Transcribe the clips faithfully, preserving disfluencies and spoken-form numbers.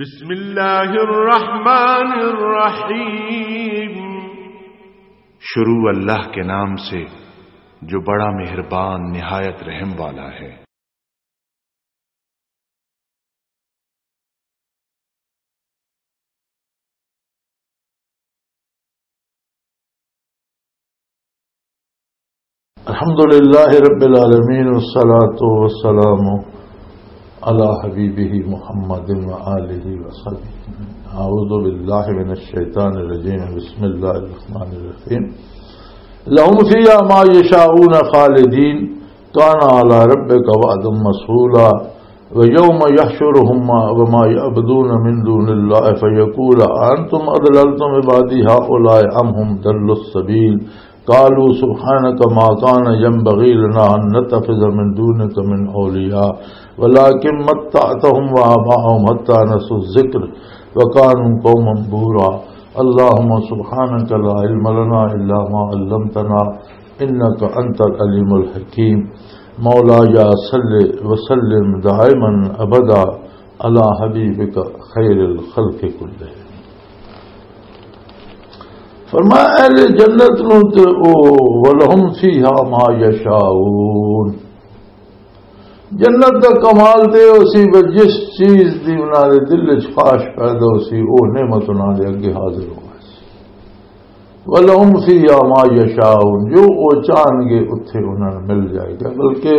بسم اللہ الرحمن الرحیم۔ شروع اللہ کے نام سے جو بڑا مہربان نہایت رحم والا ہے۔ الحمد لله رب العالمين، والصلاة والسلام على حبيبه محمد وآله وصحبه. أعوذ بالله من الشيطان الرجيم. بسم الله الرحمن الرحيم. لهم فيها ما يشاءون خالدين، كان على ربك وعدا مسئولا. ويوم يحشرهم وما يعبدون من دون الله فيقول أأنتم أضللتم عبادي هؤلاء أم هم ضلوا السبيل. قالوا سبحانك ما كان ينبغي لنا أن نتخذ من دونك من أولياء ولكن متعتهم وآباءهم حتى نسوا الذكر وكانوا قوما بورا. اللهم سبحانك لا علم لنا إلا ما علمتنا إنك أنت العليم الحكيم. مولاي صل وسلم دائما أبدا على حبيبك خير الخلق كلهم. فرمایا، اہل جنت نوں تے او، ولہم فیہا ما یشاؤون، جنت دا کمال تے او سی، وہ جس چیز دی انہاں دے دل وچ خواہش پیدا ہو سی، او نعمت انہاں دے اگے حاضر ہو سی۔ ولہم فیہا ما یشاؤون، جو او چاہن گے اتھے انہاں نوں مل جائے گا۔ بلکہ،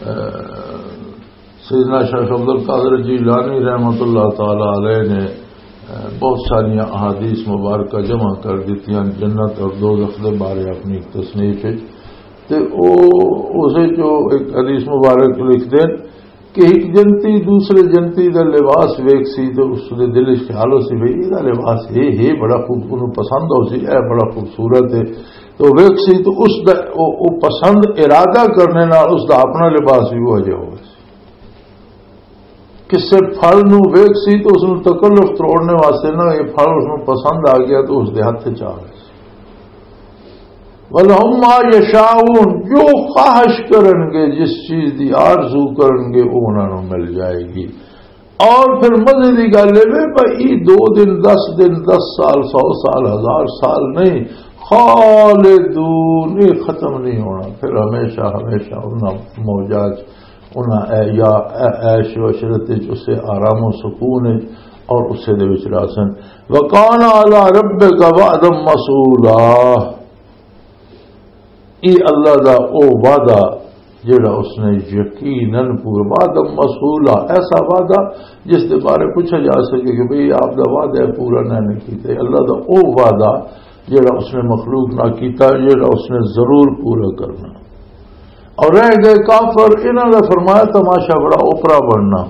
اہ، سیدنا شیخ عبدالقادر جیلانی رحمۃ اللہ تعالی علیہ نے، اہ، بہت ساری احادیث مبارکہ جمع کر دیتی ہیں، جنت اور دوزخ دے بارے اپنی تصنیف وچ۔ تے او، اسے جو ایک حدیث مبارک لکھ دین کہ ایک جنتی دوسرے جنتی دا لباس ویکھ سی تے اس دے دل وچ خیال ہو سی، بھئی، اے دا لباس اے ہے، بڑا خوب، انہوں پسند ہو سی، اے بڑا خوبصورت ہے۔ تو ویکھ سی تو اس دا، او، او پسند ارادہ کرنے نال اس دا اپنا لباس بھی وہ جہا ہوئے سی۔ کسے پھل نو ویکھ سی تو اس نو تکلف تروڑنے واسطے نہ، یہ پھل اس نو پسند آ گیا تو اس دے ہاتھ چ آ گئے۔ وَلَهُم مَّا يَشَاءُونَ، جو خواہش کرن گے، جس چیز دی آرزو کرن گے، وہ انہاں نوں مل جائے گی۔ اور پھر مزے دی گل اے وے، پر ای دو دن، دس دن، دس سال، سو سال، ہزار سال نہیں، خالدون، یہ ختم نہیں ہونا، پھر ہمیشہ ہمیشہ انہاں موجات، انہاں اے-، یا اے-، عیش و عشرت وچ، اسے آرام و سکون وچ اور اسے دے وچ راسن۔ وَكَانَ عَلَىٰ رَبِّكَ وَعْدًا مَّسْئُولًا۔ یہ اللہ دا او وعدہ جڑا اس نے یقیناً پورا، وعدہ مسئولہ، ایسا وعدہ جس دے بارے پوچھا جا سکے کہ بھئی آپ دا وعدہ ہے پورا نہ نہیں کیتا۔ اللہ دا او وعدہ جڑا اس نے مخلوق نہ کیتا، جڑا اس نے ضرور پورا کرنا۔ اور رہ گئے کافر، انہاں دا فرمایا تماشا بڑا اوپرا بننا۔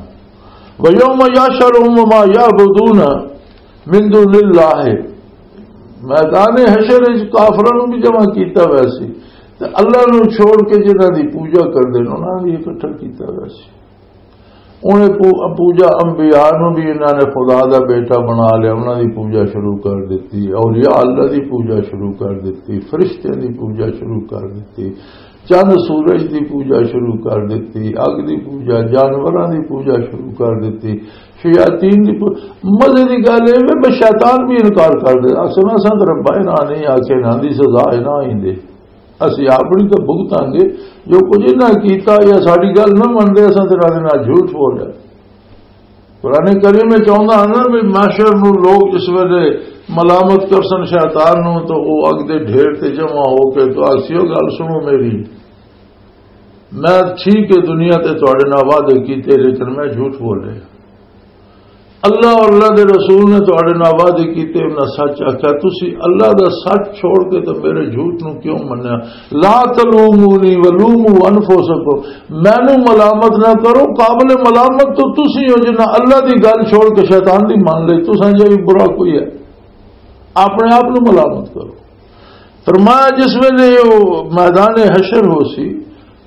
وَيَوْمَ يَحْشُرُهُمْ وَمَا يَعْبُدُونَ مِن دُونِ اللَّهِ، میدان حشر وچ کافراں نوں بھی جمع کیتا ویسی، تے اللہ نوں چھوڑ کے جنہاں دی پوجا کردے نے، انہاں نوں بھی اکٹھا کیتا ویسی۔ انہیں پو-، پوجا انبیاء نوں بھی انہاں نے خدا دا بیٹا بنا لیا، انہاں دی پوجا شروع کر دتی، اولیاء اللہ دی پوجا شروع کر دتی، فرشتیاں دی پوجا شروع کر دتی۔ چند سورج دی پوجا شروع کر دتی، اگ دی پوجا، جانوراں دی پوجا شروع کر دتی، شیاطین دی پو-، مزے دی گل اے وے، بس شیطان بھی انکار کر دے، آکھے، "میں ساں تے ربا انہاں نہیں آکھے، انہاں دی سزا انہاں ہی دے۔ اسی اپنی تے بھگتاں گے، جو کچھ انہاں کیتا یا ساڈی گل نہ من دے، اساں تے انہاں دے نال جھوٹ بول رہے۔" قرآن کریم وچ آوندا ہے نا بھی محشر نوں لوگ اس ویلے ملامت کرسن شیطان نوں، تو او اگ دے ڈھیر تے جمع ہو کے تو آکھسی، "او گل سنو میری، میں ٹھیک ہے دنیا تے تہاڈے نال وعدے کیتے، لیکن میں جھوٹ بولے۔ اللہ اور اللہ دے رسول نے تہاڈے نال وعدے کیتے، انہاں سچ آکھیا، تسی اللہ دا سچ چھوڑ کے تے میرے جھوٹ نوں کیوں منیا؟ لا تلومونی ولوموا انفسکم۔" مینوں ملامت نہ کرو، قابل ملامت تو تسی ہو جنہاں اللہ دی گل چھوڑ کے شیطان دی مان لئی۔ تساں جے بھی برا کوئی ہے، اپنے آپ نوں ملامت کرو۔ فرمایا، جس ویلے وہ میدان حشر ہو سی،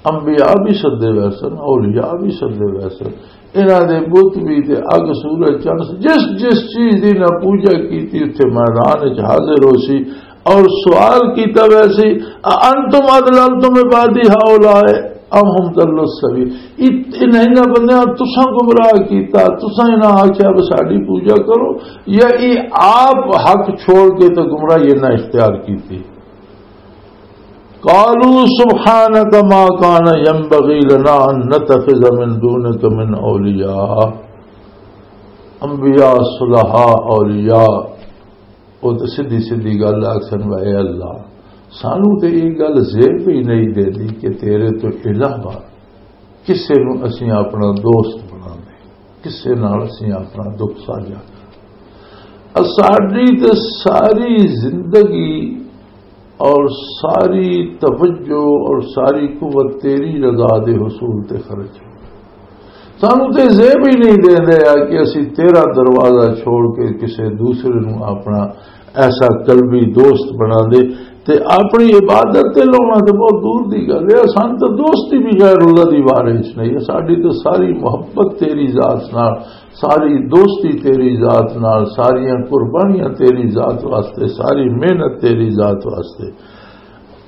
انبیاء بھی سدے ویسن، اولیاء بھی سدے ویسن، انہاں دے بت بھی تے اگ، سورج، چند، جس جس چیز دی نہ پوجا کیتی، اتھے میدان وچ حاضر ہو سی اور سوال کیتا ویسی، "اَأَنْتُمْ أَضْلَلْتُمْ عِبَادِيَ هَٰؤُلَاءِ؟" ام ہم ضلوا السبیل۔ ات-، انہاں، انہاں بندیاں تساں گمراہ کیتا، تساں انہاں آکھیا، "بس ساڈی پوجا کرو"، یا یہ آپ حق چھوڑ کے تے گمراہی انہاں اختیار کیتی؟ قالوا سبحانك ما كان ينبغي لنا أن نتخذ من دونك من أولياء۔ انبیاء، صلحاء، اولیاء، وہ تو سیدھی سیدھی گل آکھن، "اے اللہ، سانو تے یہ گل زیب ہی نہیں دیندی کہ تیرے تو علاوہ کسے نو اسیں اپنا دوست بنا دے، کسے نال اسیں اپنا دکھ ساجھا کر۔" اور ساری تے ساری زندگی اور ساری توجہ اور ساری قوت تیری رضا دے حصول تے خرچ ہو۔ سانو تے زیب ہی نہیں دے دیا کہ اسی تیرا دروازہ چھوڑ کے کسی دوسرے نو اپنا ایسا قلبی دوست بنا دے۔ تے اپنی عبادت تے لاؤنا تے بہت دور دی گل ہے۔ سانو تے دوستی بھی غیر اللہ دی بارے چ نہیں ہے۔ ساڈی تے ساری محبت تیری ذات نال، ساری دوستی تیری ذات نال، ساریاں قربانیاں تیری ذات واسطے، ساری محنت تیری ذات واسطے۔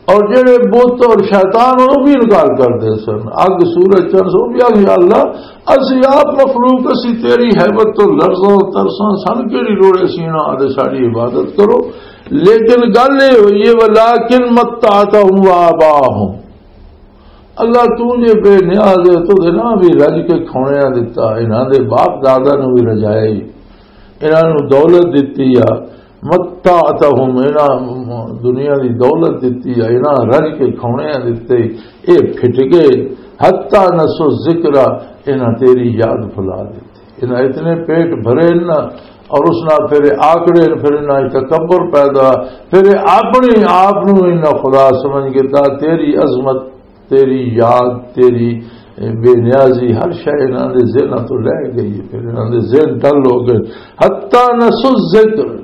اور جڑے بت اور شیطان، وہ بھی انکار کردے سن۔ اگ، سورج، چند، وہ بھی آخ، "یا اللہ، اسی آپ مخلوق، اسی تیری ہیبت تو لرزاں، ترساں، سن کیڑی لوڑ اسی انہاں آدے ساڈی عبادت کرو؟" لیکن گل یہ ہوئی ہے، "ولکن متعتہم وآباہم۔" اللہ، تو جے بے نیاز ہے، تو دے نہ بھی رج کے کھونے دتا، انہاں دے باپ دادا نو بھی رجایا ہی، انہاں نو دولت دتی آ، متعتہم، انہاں دنیا دی دولت دتی آ، انہاں رج کے کھونے دتے، اے پھٹ گئے، حتی نسوا الذکر، انہاں تیری یاد بھلا دتی۔ انہاں اتنے پیٹ بھرے نا، اور اس نال پھر آکڑے، پھر انہاں وچ تکبر پیدا، پھر اپنی آپ نو انہاں خدا سمجھ کے تا تیری عظمت، تیری یاد، تیری بے نیازی، ہر شے انہاں دے ذہناں تو لے گئی۔ پھر انہاں دے ذہن ڈل ہو گئے۔ حتی نسوا الذکر،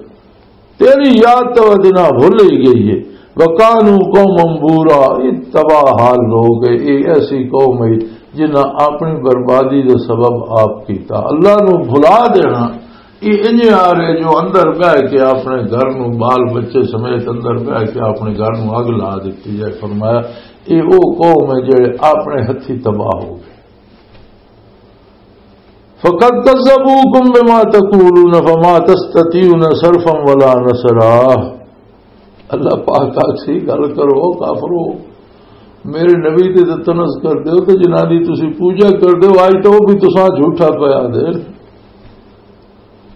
تیری یاد تو ادنا بھول ہی گئی ہے۔ وکانوا قوما بورا، یہ تباہ حال لوگ ہے، یہ ایسی قوم ہے جنہاں اپنی بربادی کا سبب آپ کیتا، اللہ نو بھلا دینا۔ یہ انجے آ رہے جو اندر بہ کے اپنے گھر نو، بال بچے سمیت اندر بہ کے اپنے گھر نو اگ لا دیتی جائے۔ فرمایا، یہ وہ قوم ہے جڑے اپنے ہتھی تباہ ہو گئے۔ فقد كذبوكم بما تقولون فما تستطيعون صرفا ولا نصرا۔ اللہ پاک آکھ سی، گل کرو کافرو، میرے نبی تے تے طنز کر دیو تے جنہاں دی تسی پوجا کر دیو، آج تو وہ بھی تساں جھوٹا پیا دے۔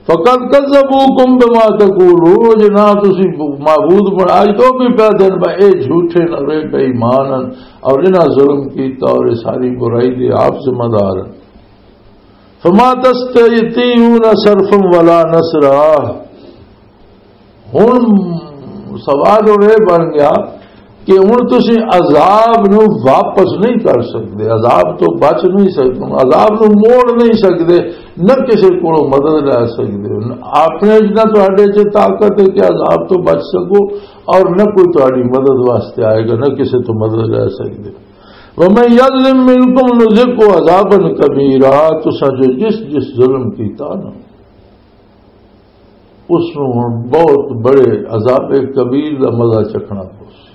فقد كذبوكم بما تقولون، جنہاں تسی معبود بنا، آج تو بھی پیا دین با اے جھوٹے نہ رہے، بے ایمان ہن، اور انہاں ظلم کیتا اور یہ ساری برائی دے آپ ذمہ دار ہن۔ فما تستطيعون صرفا ولا نصرا۔ ہن سوال ہن یہ بن گیا کہ ہن تسی عذاب نو واپس نہیں کر سکدے، عذاب تو بچ نہیں سکدے، عذاب نو موڑ نہیں سکدے، نہ کسی کولوں مدد لے سکدے۔ اپنے وچ نہ تہاڈے چ طاقت ہے کہ عذاب تو بچ سکو، اور نہ کوئی تہاڈی مدد واسطے آئے گا، نہ کسی تو مدد لے سکدے۔ ومن يظلم منكم نذقه عذابا كبيرا، تساں جو جس جس ظلم کیتا نا، اس نوں ہن بہت بڑے عذاب کبیر دا مزہ چکھنا پوسی۔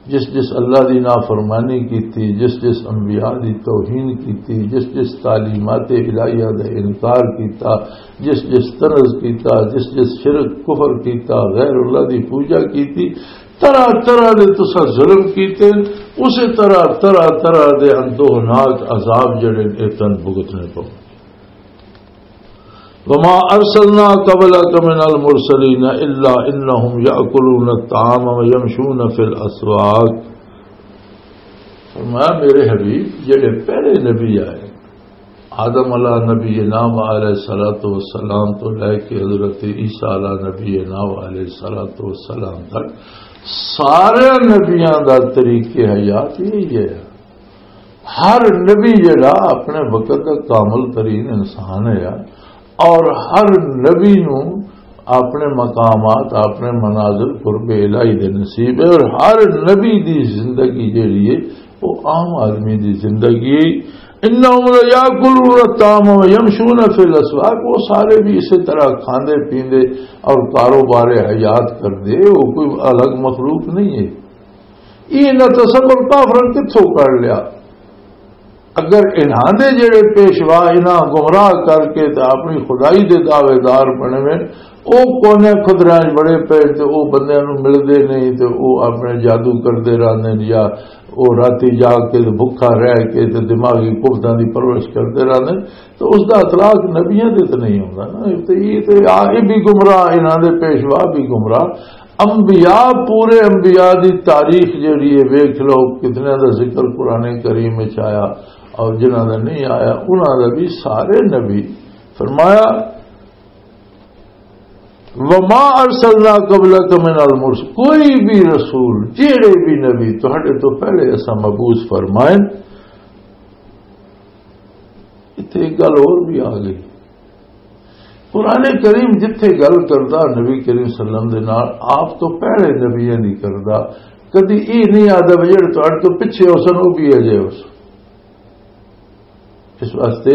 جس جس اللہ دی نافرمانی کیتی، جس جس انبیاء دی توہین کیتی، جس جس تعلیمات الہیہ دا انکار کیتا، جس جس طنز کیتا، جس جس شرک کفر کیتا، غیر اللہ دی پوجا کیتی، طرح طرح دے تساں ظلم کیتے، اسے طرح طرح طرح دے اندوہناک عذاب جڑے نے تن بھگتنے پو۔ وما ارسلنا قبلك من المرسلين الا انهم ياكلون الطعام ويمشون في الاسواق۔ فرمایا، میرے حبیب، جڑے پہلے نبی آئے، آدم علیہ نبی نام علیہ الصلوۃ والسلام تو لے کے حضرت عیسیٰ علیہ نبی نام علیہ الصلوۃ والسلام تک، سارے نبیاں دا طریقے حیات یہی ہے۔ ہر نبی جڑا اپنے وقت دا کامل ترین انسان ہے، اور ہر نبی نو اپنے مقامات، اپنے منازل قرب الہی دے نصیب ہے، اور ہر نبی دی زندگی جڑی ہے، وہ عام آدمی دی زندگی ہے۔ انہم لیاکلون الطعام ویمشون فی الاسواق، وہ سارے بھی اسی طرح کھاندے پیندے اور کاروبار حیات کردے، وہ کوئی الگ مخلوق نہیں ہے۔ یہ انہاں تصور کافراں کتھوں کر لیا؟ اگر انہاں دے جڑے پیشوا انہاں گمراہ کر کے تے اپنی خدائی دے دعوے دار بنے ہوئے، او کونے خدراں وچ بڑے پے تے او بندیاں نوں ملدے نہیں تے او اپنے جادو کردے رہندے نے، یا او راتی جاگ کے تے بھکھا رہ کے تے دماغی قوتاں دی پرورش کردے رہندے نے، تو اس دا اطلاق نبیاں دے تے نہیں ہوندا نا۔ تے یہ تے آ، یہ بھی گمراہ، انہاں دے پیشوا بھی گمراہ۔ انبیاء، پورے انبیاء دی تاریخ جڑی ہے، ویکھ لو کتنے دا ذکر قرآن کریم وچ آیا اور جنہاں دا نہیں آیا، انہاں دا بھی سارے نبی۔ فرمایا، "وما ارسلنا قبلک من المرسل"، کوئی بھی رسول، جیڑے بھی نبی تہاڈے تو پہلے اساں مبعوث فرمائے، اتھے ایک گل اور بھی آ گئی۔ قرآن کریم جتھے گل کردا نبی کریم صلی اللہ علیہ وسلم دے نال، آپ تو پہلے نبیاں دی کردا، کدی یہ نہیں آدا بھی جڑے تہاڈے تو پچھے ہو سن، وہ بھی اجے ہو سن۔ اس واسطے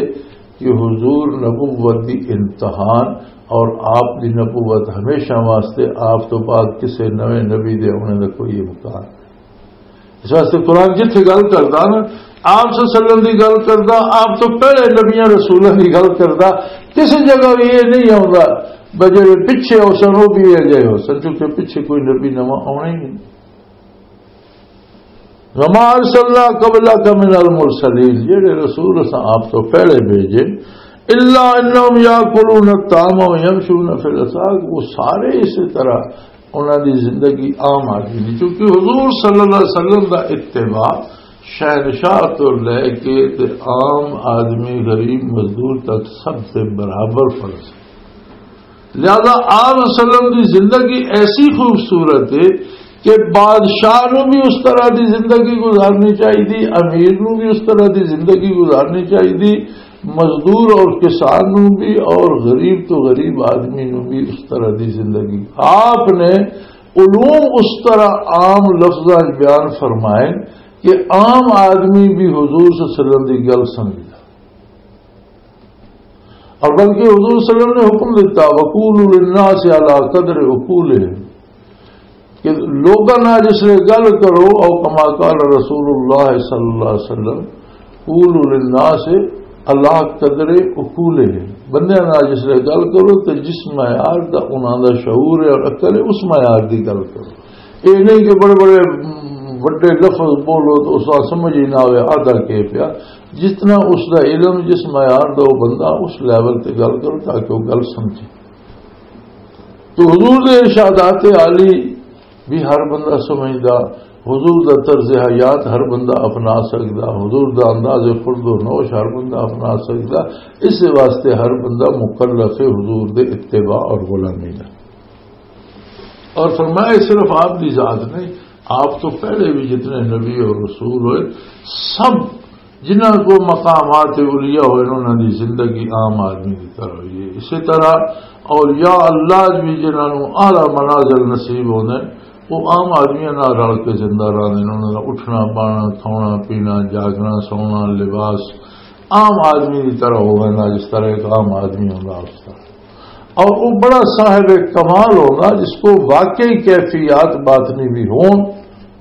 کہ حضور نبوت دی امتحان اور آپ دی نبوت ہمیشہ واسطے، آپ تو بعد کسے نویں نبی دے آنے دا کوئی امکان۔ اس واسطے قرآن جتھے گل کردا نا، آپ صلی اللہ علیہ وسلم دی گل کردا، آپ تو پہلے نبیاں رسولاں دی گل کردا، کسی جگہ بھی یہ نہیں آوندا بجے پچھے ہو سن، وہ بھی یہ جائے ہو سن، کیونکہ پچھے کوئی نبی نواں آنا ہی نہیں۔ "وما ارسلنا قبلک من المرسلین"، جڑے رسول اساں آپ تو پہلے بھیجے، "الا انہم یاکلون الطعام ویمشون فی الاسواق"، وہ سارے اسی طرح انہاں دی زندگی عام آدمی دی، کیونکہ حضور صلی اللہ علیہ وسلم دا اتباع شہنشاہ تو لے کے تے عام آدمی، غریب مزدور تک سب سے برابر فرض ہے۔ لہذا آپ صلی اللہ علیہ وسلم دی زندگی ایسی خوبصورت ہے کہ بادشاہ نو بھی اس طرح دی زندگی گزارنی چاہیے، امیر نو بھی اس طرح دی زندگی گزارنی چاہیے، مزدور اور کسان نو بھی اور غریب تو غریب آدمی نو بھی اس طرح دی زندگی۔ آپ نے علوم اس طرح عام لفظاں وچ بیان فرمائے کہ عام آدمی بھی حضور صلی اللہ علیہ وسلم دی گل سمجھدا۔ اور بلکہ حضور صلی اللہ علیہ وسلم نے حکم دیتا، "وقولوا للناس علی قدر عقولہم"، کہ لوگاں نال جس لے گل کرو، او کما قال رسول اللہ صلی اللہ علیہ وسلم، "قولوا للناس علی قدر عقولہم"، بندیاں نال جس لے گل کرو تے جس معیار دا انہاں دا شعور ہے اور عقل ہے، اس معیار دی گل کرو۔ یہ نہیں کہ بڑے بڑے، م، وڈے لفظ بولو تو اس کا سمجھ ہی نہ آئے، آدھا کے پیا۔ جتنا اس دا علم، جس معیار دا وہ بندہ، اس لیول تے گل کرو تاکہ وہ گل سمجھے۔ تو حضور دے ارشادات عالی بھی ہر بندہ سمجھدا، حضور دا طرز حیات ہر بندہ اپنا سکدا، حضور دا انداز خورد و نوش ہر بندہ اپنا سکدا۔ اس واسطے ہر بندہ مکلف ہے حضور دے اتباع اور غلامی دا۔ اور فرمایا، صرف آپ دی ذات نہیں، آپ تو پہلے بھی جتنے نبی اور رسول ہوئے، سب جنہاں کو مقامات اولیاء ہوئے، انہاں دی زندگی عام آدمی دی طرح ہوئی ہے۔ اسی طرح اولیاء اللہ بھی جنہاں نوں اعلیٰ منازل نصیب ہوندے، وہ عام آدمیاں نال رل کے زندہ رہندے نے۔ انہاں دا اٹھنا، بانا، کھانا، پینا، جاگنا، سونا، لباس عام آدمی دی طرح ہووے نا، جس طرح ایک عام آدمی ہوندا اس طرح۔ اور وہ بڑا صاحب کمال ہوگا جس کو واقعی کیفیات باطنی بھی ہوں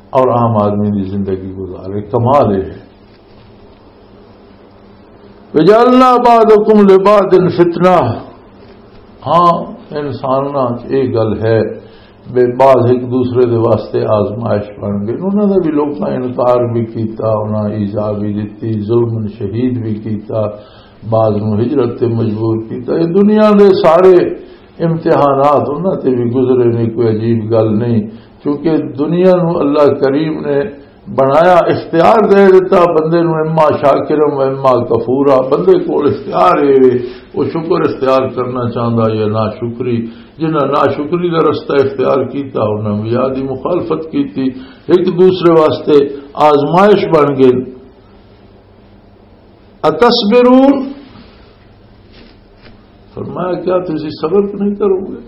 اور عام آدمی کی زندگی گزارے۔ کمال یہ ہے۔ "وجعلنا بعضکم لبعض فتنہ"، ہاں، انساناں چ یہ گل ہے، بے بعض ایک دوسرے دے واسطے آزمائش بن گئے۔ انہاں نے بھی لوکاں انکار بھی کیتا، انہاں ایذا بھی دتی، ظلم شہید بھی کیتا، بعض نوں ہجرت تے مجبور کیتا۔ یہ دنیا دے سارے امتحانات انہاں تے بھی گزرے نے، کوئی عجیب گل نہیں، کیونکہ دنیا نوں اللہ کریم نے بنایا، اختیار دے دیتا بندے نوں، اما شاکرم و اما کفورا۔ بندے کول اختیار ہے، وہ شکر اختیار کرنا چاہندا یا ناشکری۔ جنہاں ناشکری دا رستہ اختیار کیتا، انہاں انبیاء دی مخالفت کیتی، ایک دوسرے واسطے آزمائش بن گئے۔ اتصبرون؟ فرمایا، کیا تسی صبر نہیں کرو گے؟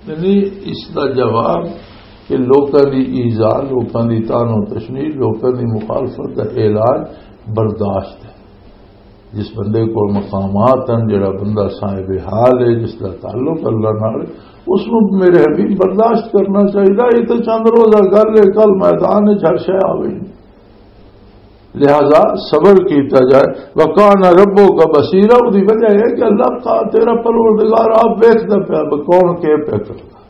یعنی اس دا جواب کہ لوکاں دی ایذا، لوکاں دی تان و تشنی، لوکاں دی مخالفت دا علاج برداشت ہے۔ جس بندے کو مقامات ہیں، جڑا بندہ صاحب حال ہے، جس دا تعلق اللہ نال، اس نوں میرے حبیب برداشت کرنا چاہیے۔ یہ تو چند روزہ گل ہے، کل میدان وچ ہر شے آ گئی۔ لہذا صبر کیتا جائے۔ وَكَانَ رَبُّكَ بَصِيرًا، اس دی وجہ یہ کہ اللہ کا، تیرا پروردگار آپ ویکھدا پیا، وہ کون کے پیا کردا۔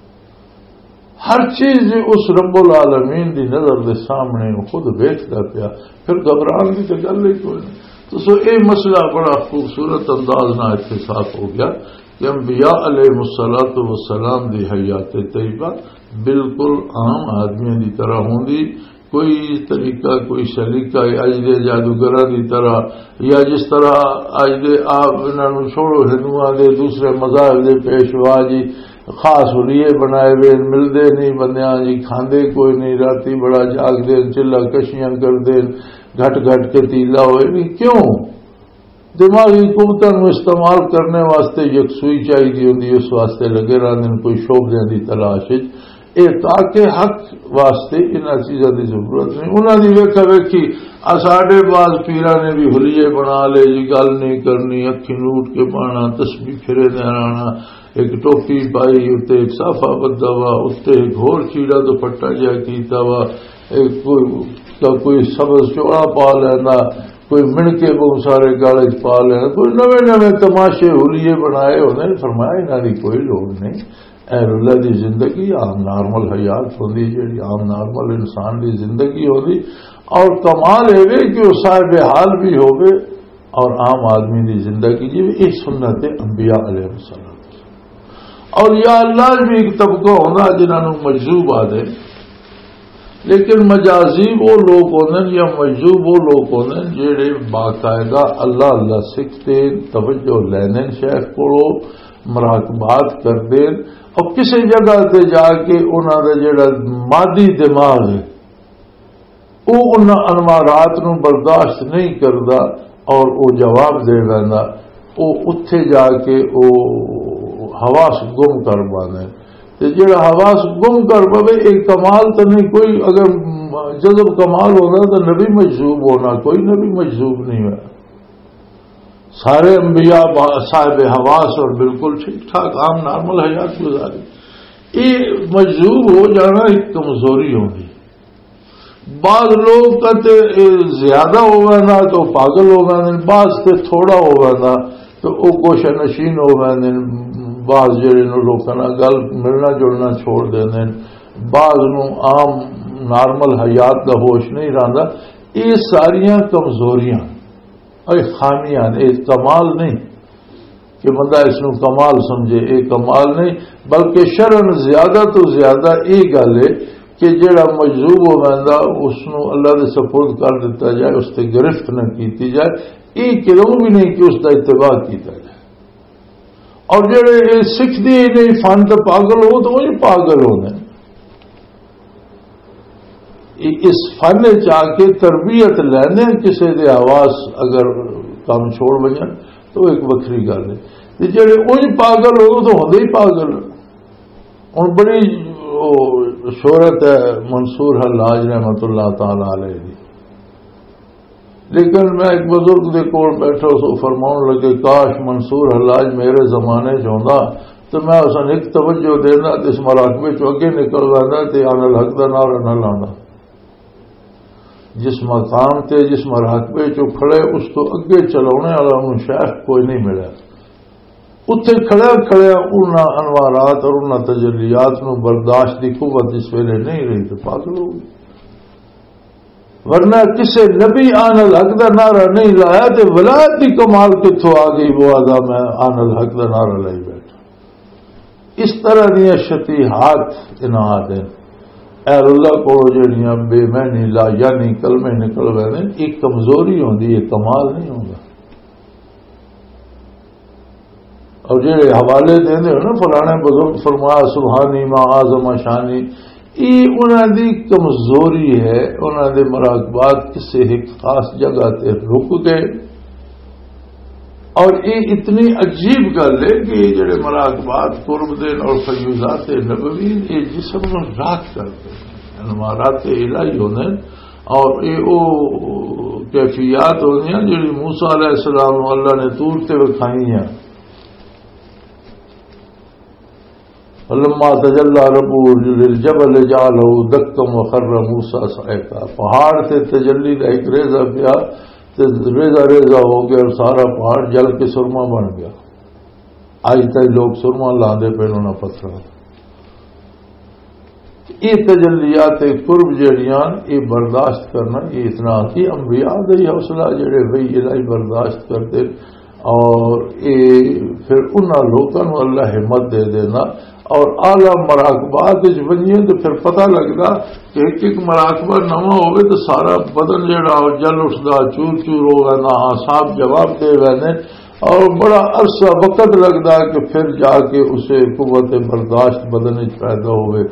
ہر چیز اس رب العالمین دی نظر دے سامنے وہ خود ویکھدا پیا، پھر گھبران دی تے گل ہی کوئی نہیں۔ تو سو، یہ مسئلہ بڑا خوبصورت انداز نال اتھے صاف ہو گیا کہ انبیاء علیہ الصلوۃ والسلام دی حیات طیبہ بالکل عام آدمیاں دی طرح ہوندی۔ کوئی طریقہ، کوئی سلیقہ اج دے جادوگراں دی طرح، یا جس طرح اج دے، آپ انہاں نوں چھوڑو، ہندوؤں دے، دوسرے مذاہب دے پیشوا جی خاص حلیے بنائے ہوئے، ملدے نہیں بندیاں جی، کھاندے کوئی نہیں، راتی بڑا جاگدے، چلہ کشیاں کردے، گھٹ گھٹ کے تیلا ہوئے نہیں۔ کیوں؟ دماغی قوتاں نوں استعمال کرنے واسطے یکسوئی چاہیدی ہوندی، اس واسطے لگے رہندے نے کوئی شعبدیاں دی تلاش وچ۔ اے تاکہ حق واسطے انہاں چیزاں دی ضرورت نہیں۔ انہاں دی ویکھا ویکھی، آ ساڈے بعض پیراں نے بھی حلیے بنا لے جی، گل نہیں کرنی، اکھیں نوٹ کے پانا، تسبیح پھرے دے آنا، ایک ٹوپی پائی، اُتے ایک صافا بدھا وا، اُتے ایک ہور چیڑا دوپٹہ جہا کیتا وا، ایک کوئی، کوئی سبز چوڑا پا لینا، کوئی مڑ کے بہت سارے گل وچ پا لینا، کوئی نویں نویں تماشے حلیے بنائے ہوندے نے۔ فرمایا، انہاں دی کوئی لوڑ نہیں۔ اہل اللہ دی زندگی عام نارمل حیات ہوندی، جڑی عام نارمل انسان دی زندگی ہوندی۔ اور کمال اے وے کہ وہ صاحب حال بھی ہوے اور عام آدمی دی زندگی جی، یہ سنت انبیاء علیہ السلام۔ اور یا اللہ بھی ایک طبقہ ہونا جنہاں نوں مجذوب آدے، لیکن مجازیب وہ لوگ ہوندے نے یا مجذوب وہ لوگ ہوندے نے جڑے باقاعدہ اللہ اللہ سکھتے، توجہ لیندے نے شیخ کولوں، مراقبات کردے نے، اور کسی جگہ تے جا کے انہاں دا جڑا مادی دماغ ہے، وہ انہاں انوارات نوں برداشت نہیں کردا اور وہ جواب دے ویندا، وہ اتھے جا کے وہ حواس گم کر پاندے۔ تے جڑا حواس گم کر پوے، ایک کمال تو نہیں کوئی، اگر جذب کمال ہونا تو نبی مجذوب ہونا، کوئی نبی مجذوب نہیں ہوا۔ سارے انبیاء با-، صاحب حواس اور بالکل ٹھیک ٹھاک عام نارمل حیات گزاری۔ یہ مجذوب ہو جانا ایک کمزوری ہوندی۔ بعض لوگ کہتے، اے زیادہ ہو ویندا تو پاگل ہو ویندے، بعض تے تھوڑا ہو ویندا تو او گوشہ نشین ہو ویندے۔ بعض جڑے نو لوکاں نال گل ملنا جلنا چھوڑ دیندے، بعض نو عام نارمل حیات دا ہوش نہیں رہندا۔ یہ ساریاں کمزوریاں، اے خامیاں نے، اے کمال نہیں۔ کہ بندہ اس نوں کمال سمجھے، یہ کمال نہیں، بلکہ شرعاً زیادہ تو زیادہ یہ گل ہے کہ جڑا مجذوب ہو ویندا، اس نوں اللہ دے سپرد کر دتا جائے، اس تے گرفت نہ کیتی جائے۔ یہ کدوں بھی نہیں کہ اس دا اتباع کیتا جائے۔ اور جڑے یہ سکھدے ہی نہیں، فن تے پاگل ہو، تو وہی پاگل ہونے۔ اس فن وچ آ کے تربیت لینے کسے دے حواس اگر کم چھوڑ وجن تو ایک وکھری گل ہے۔ تے جڑے اونج پاگل ہو تو ہوندے ہی پاگل۔ ہن بڑی، او، شہرت ہے منصور حلاج رحمت اللہ تعالی علیہ دی۔ لیکن میں ایک بزرگ دے کول بیٹھا سو، فرماؤن لگے، "کاش منصور حلاج میرے زمانے چ ہوندا تے میں اس نوں ایک توجہ دیندا تے اس مراقبے چوں اگے نکل ویندا تے آن الحق دا نعرہ نہ لاندا۔" جس مقام تے، جس مراقبے چوں کھڑے، اس تو اگے چلاونے والا انہوں شیخ کوئی نہیں ملیا۔ اتھے کھڑے کھڑے انہاں انوارات اور انہاں تجلیات نوں برداشت دی قوت اس ویلے نہیں رہی تو پاگل ہو گئی۔ ورنہ کسے نبی آن الحق دا نعرہ نہیں لایا تے ولایت دی کمال کتھوں آ گئی؟ وہ آدھا، "میں آن الحق دا نعرہ لائی بیٹھا۔" اس طرح دیاں شتیہات انہاں آدھے اہل اللہ کولوں جڑیاں بے معنی لا یعنی کلمے نکل گئے نے، ایک کمزوری ہوندی ہے، کمال نہیں ہوندا۔ اور جڑے حوالے دیندے ہو نا، فلانے بزرگ فرمایا سبحانی ما اعظم شانی، یہ انہاں دی کمزوری ہے۔ انہاں دے مراقبات کسے ایک خاص جگہ تے رک گئے۔ اور یہ اتنی عجیب گل ہے کہ یہ جڑے مراقبات قرب دے اور فیوضات نبوی، یہ جسم نوں راکھ کر دے، انوارات الہی ہوندے۔ اور یہ وہ کیفیات ہوندیاں جڑی موسیٰ علیہ السلام نوں اللہ نے طور تے وکھائی ہیں۔ فلما تجلى ربه للجبل جعله دكا وخر موسى صعقا۔ پہاڑ تے تجلی دا ایک ریزہ پیا تے ریزہ ریزہ ہو گیا اور سارا پہاڑ جل کے سرما بن گیا۔ اج تک لوگ سرما لاندے پے انہاں پتھراں۔ یہ تجلیات قرب جڑیاں، یہ برداشت کرنا، یہ اتنا کہ انبیاء دا ہی حوصلہ جڑے بھئی الہی برداشت کرتے، اور یہ پھر انہاں لوکاں نوں اللہ ہمت دے دینا۔ اور اعلیٰ مراقبات وچ ونجے تو پھر پتہ لگدا کہ ایک ایک مراقبہ نواں ہوئے تو سارا بدن جڑا وہ جل اٹھدا، چور چور ہو گیا، نہ صاحب جواب دے ویندے۔ اور بڑا عرصہ وقت لگدا ہے کہ پھر جا کے اسے قوت برداشت بدن وچ پیدا ہوئے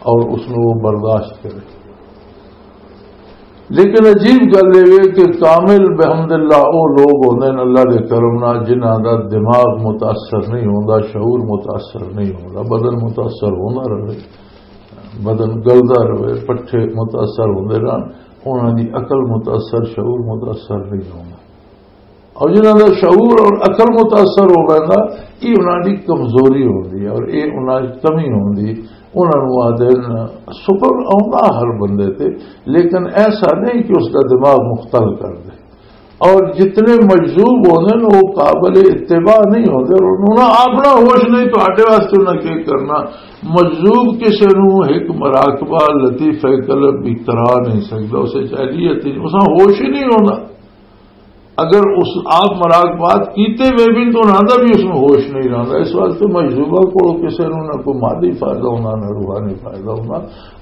اور اس نوں وہ برداشت کرے۔ لیکن عجیب گل یہ ہے کہ کامل بحمد اللہ وہ لوگ ہوندے نے اللہ دے کرم نال جنہاں دا دماغ متاثر نہیں ہوندا، شعور متاثر نہیں ہوندا، بدن متاثر ہوندا رہے، بدن گلدا رہے، پٹھے متاثر ہوندے رہن، انہاں دی عقل متاثر، شعور متاثر نہیں ہوندا۔ اور جنہاں دا شعور اور عقل متاثر ہو ویندا، یہ انہاں دی کمزوری ہوندی ہے اور یہ انہاں دی کمی ہوندی۔ انہاں نوں آدھے ن-، صبر آوندا ہر بندے تے، لیکن ایسا نہیں کہ اس دا دماغ مختل کر دے۔ اور جتنے مجذوب ہوندے نے، وہ قابل اتباع نہیں ہوندے اور انہاں اپنا ہوش نہیں، تہاڈے واسطے انہاں کی کرنا۔ مجذوب کسے نوں ایک مراقبہ لطیفہ قلب بھی کرا نہیں سکدا، اسے چاہیے تے اساں ہوش ہی نہیں ہوندا۔ اگر اس آپ مراقبات کیتے ہوئے بھی تو انہاں دا بھی اس میں ہوش نہیں رہندا۔ اس واسطے مجذوبہ کو کسے نوں نہ کوئی مادی فائدہ ہونا، نہ روحانی فائدہ ہونا،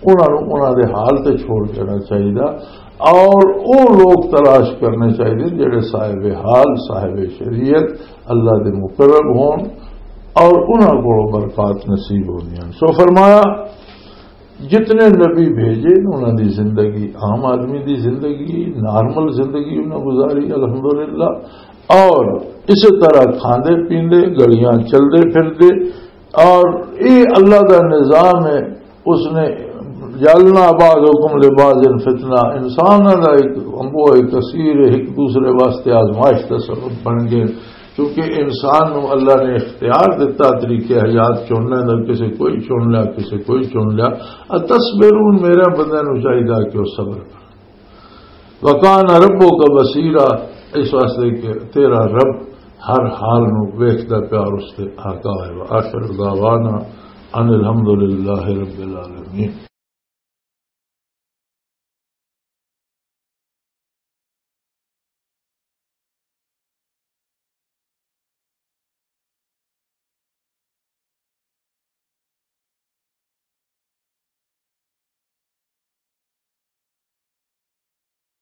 انہاں نوں انہاں دے حال تے چھوڑ دینا چاہیے۔ اور وہ لوگ تلاش کرنے چاہیے جڑے صاحب حال، صاحب شریعت، اللہ دے مقرب ہون اور انہاں کو برکات نصیب ہونی۔ سو فرمایا، جتنے نبی بھیجے، انہاں دی زندگی، عام آدمی دی زندگی، نارمل زندگی انہاں گزاری، الحمدللہ۔ اور اسی طرح کھاندے پیندے، گلیاں چلدے پھردے، اور یہ اللہ دا نظام ہے۔ اس نے جعلنا بعضکم لبعض فتنہ، انساناں دا ایک انبوہ کثیر ہے، ایک دوسرے واسطے آزمائش دا سبب بن گئے۔ کیونکہ انسان نو اللہ نے اختیار دتا طریقے حیات چننے دا، کسے کوئی چن لیا، کسے کوئی چن لیا۔ اتصبرون، میرے بندے نو چاہیدا کہ وہ صبر کرے۔ وکان ربک بصیرا، اس واسطے کہ تیرا رب ہر حال نو ویکھدا پیا اور اس تے آگاہ ہے۔ وآخر دعوانا ان الحمدللہ رب العالمین۔